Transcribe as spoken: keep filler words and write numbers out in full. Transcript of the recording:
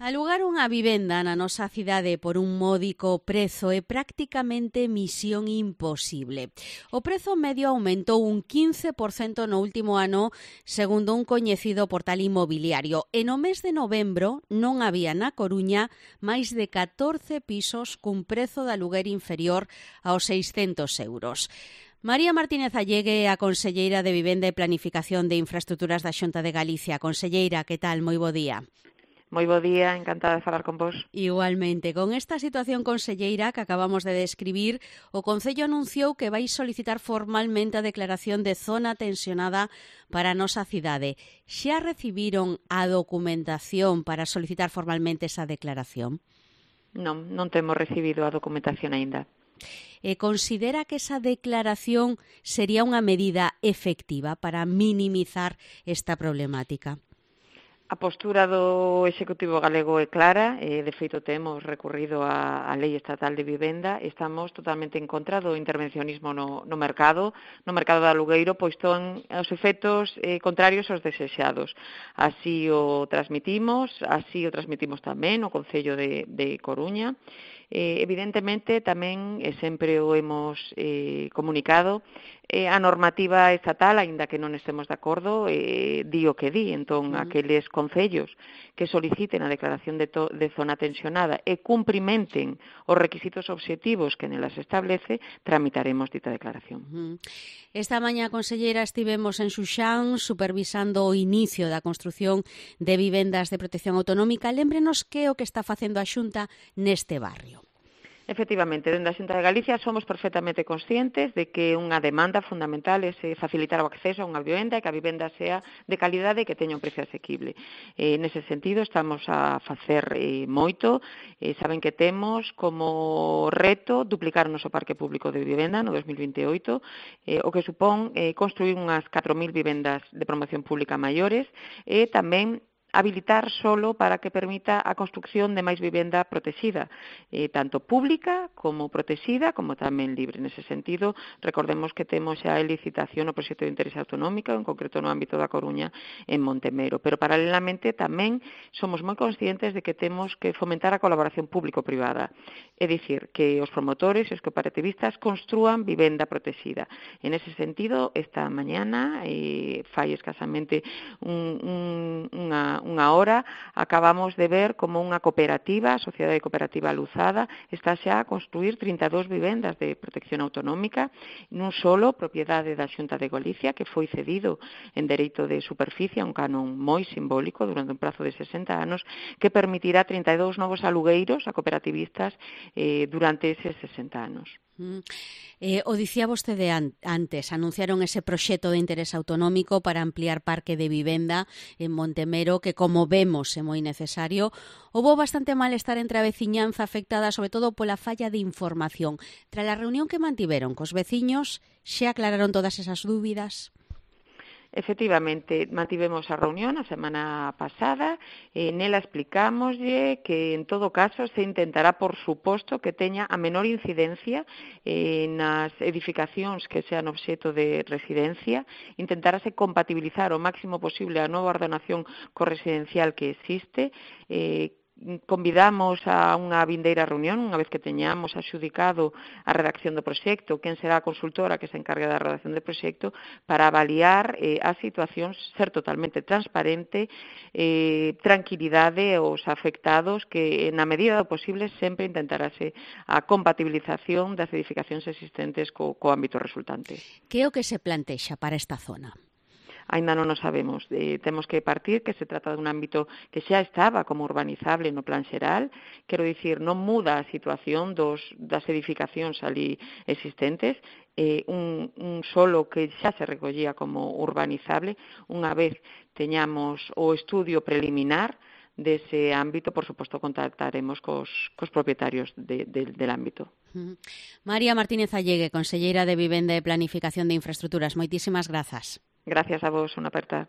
Alugar unha vivenda na nosa cidade por un módico prezo é prácticamente misión imposible. O prezo medio aumentou un quince por cento no último ano, segundo un coñecido portal inmobiliario. E no mes de novembro non había na Coruña máis de catorce pisos cun prezo de aluguer inferior aos seiscentos euros. María Martínez Allegue é a conselleira de Vivenda e Planificación de Infraestruturas da Xunta de Galicia. Conselleira, que tal? Moi bo día. Moi bo día, encantada de falar con vos. Igualmente, con esta situación, conselleira, que acabamos de describir, o Concello anunciou que vai solicitar formalmente a declaración de zona tensionada para a nosa cidade. Xa recibiron a documentación para solicitar formalmente esa declaración? Non, non temos recibido a documentación aínda. E considera que esa declaración sería unha medida efectiva para minimizar esta problemática? A postura do Executivo galego é clara, e de feito temos recurrido á, á Lei Estatal de Vivenda, estamos totalmente en contra do intervencionismo no, no mercado, no mercado de alugueiro, pois ton os efectos eh, contrarios aos desexados. Así o transmitimos, así o transmitimos tamén o Concello de, de Coruña. Eh, evidentemente, tamén, e sempre o hemos eh, comunicado, eh, a normativa estatal, aínda que non estemos de acordo, eh, di o que di. Entón, mm. aqueles concellos que soliciten a declaración de, to, de zona tensionada e cumprimenten os requisitos obxectivos que nelas establece, tramitaremos dita declaración. Mm. Esta mañá, conselleira, estivemos en Xuxán supervisando o inicio da construción de vivendas de protección autonómica. Lémbrenos que é o que está facendo a Xunta neste barrio. Efectivamente, dende a Xunta de Galicia somos perfectamente conscientes de que unha demanda fundamental é facilitar o acceso a unha vivenda e que a vivenda sea de calidade e que teña un precio asequible. Eh, nese sentido, estamos a facer eh, moito. Eh, saben que temos como reto duplicar o noso parque público de vivenda no dos mil vinte e oito, eh, o que supón eh, construir unhas catro mil vivendas de promoción pública maiores e tamén habilitar solo para que permita a construcción de máis vivenda protexida, eh, tanto pública como protexida, como tamén libre. Nese sentido, recordemos que temos xa a licitación no proxecto de interés autonómico, en concreto no ámbito da Coruña, en Montemero. Pero, paralelamente, tamén somos moi conscientes de que temos que fomentar a colaboración público-privada. É dicir, que os promotores e os cooperativistas construan vivenda protexida. En ese sentido, esta mañana, eh, fai escasamente un, un, unha unha hora, acabamos de ver como unha cooperativa, a Sociedade Cooperativa Luzada, está xa a construir trinta e dous vivendas de protección autonómica nun solo propiedade da Xunta de Galicia, que foi cedido en dereito de superficie a un canon moi simbólico durante un prazo de sesenta anos, que permitirá trinta e dous novos alugueiros a cooperativistas eh, durante eses sesenta anos. Mm. Eh, o dicía vostede an- antes, anunciaron ese proxecto de interés autonómico para ampliar parque de vivenda en Montemero, que, como vemos, é moi necesario. Houbo bastante malestar entre a veciñanza afectada, sobre todo pola falla de información. Tras a reunión que mantiveron cos veciños, xa aclararon todas esas dúbidas? Efectivamente, mantivemos a reunión a semana pasada, e nela explicámoslle que, en todo caso, se intentará, por suposto, que teña a menor incidencia eh, nas edificacións que sean obxecto de residencia, intentarase compatibilizar o máximo posible a nova ordenación corresidencial que existe, eh, convidamos a unha vindeira reunión, unha vez que teñamos axudicado a redacción do proxecto, quen será a consultora que se encargue da redacción do proxecto, para avaliar eh, as situacións, ser totalmente transparente, eh, tranquilidade aos afectados, que na medida do posible sempre intentarase a compatibilización das edificacións existentes co, co ámbito resultante. Que é o que se plantexa para esta zona? Ainda non o sabemos. Eh, temos que partir que se trata dun ámbito que xa estaba como urbanizable no plan xeral, quero dicir, non muda a situación dos, das edificacións ali existentes, eh, un, un solo que xa se recollía como urbanizable. Unha vez teñamos o estudio preliminar dese ámbito, por suposto, contactaremos cos, cos propietarios de, de, del ámbito. María Martínez Allegue, conselleira de Vivenda e Planificación de Infraestruturas, moitísimas grazas. Gracias a vos, unha aperta.